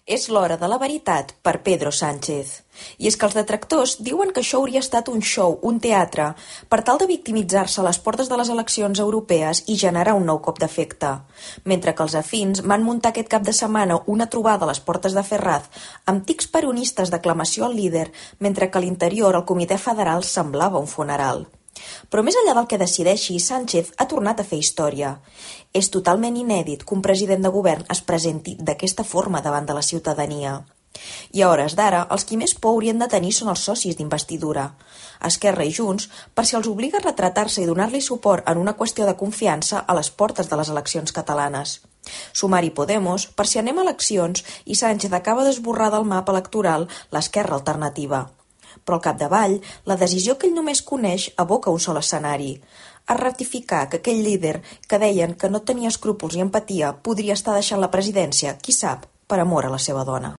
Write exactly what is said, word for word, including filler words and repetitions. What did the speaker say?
És l'hora de la veritat per Pedro Sánchez. I és que els detractors diuen que això hauria estat un show, un teatre, per tal de victimitzar-se a les portes de les eleccions europees i generar un nou cop d'efecte. Mentre que els afins van muntar aquest cap de setmana una trobada a les portes de Ferraz amb tics peronistes d'aclamació al líder, mentre que a l'interior el comitè federal semblava un funeral. Però més enllà del que decideixi, Sánchez ha tornat a fer història. És totalment inèdit que un president de govern es presenti d'aquesta forma davant de la ciutadania. I a hores d'ara, els qui més por haurien de tenir són els socis d'investidura. Esquerra i Junts, per si els obliga a retratar-se i donar-li suport en una qüestió de confiança a les portes de les eleccions catalanes. Sumar i Podemos, per si anem a eleccions i Sánchez acaba d'esborrar del mapa electoral l'esquerra alternativa. Però al capdavall, la decisió que ell només coneix aboca un sol escenari: a ratificar que aquell líder que deien que no tenia escrúpols i empatia podria estar deixant la presidència, qui sap, per amor a la seva dona.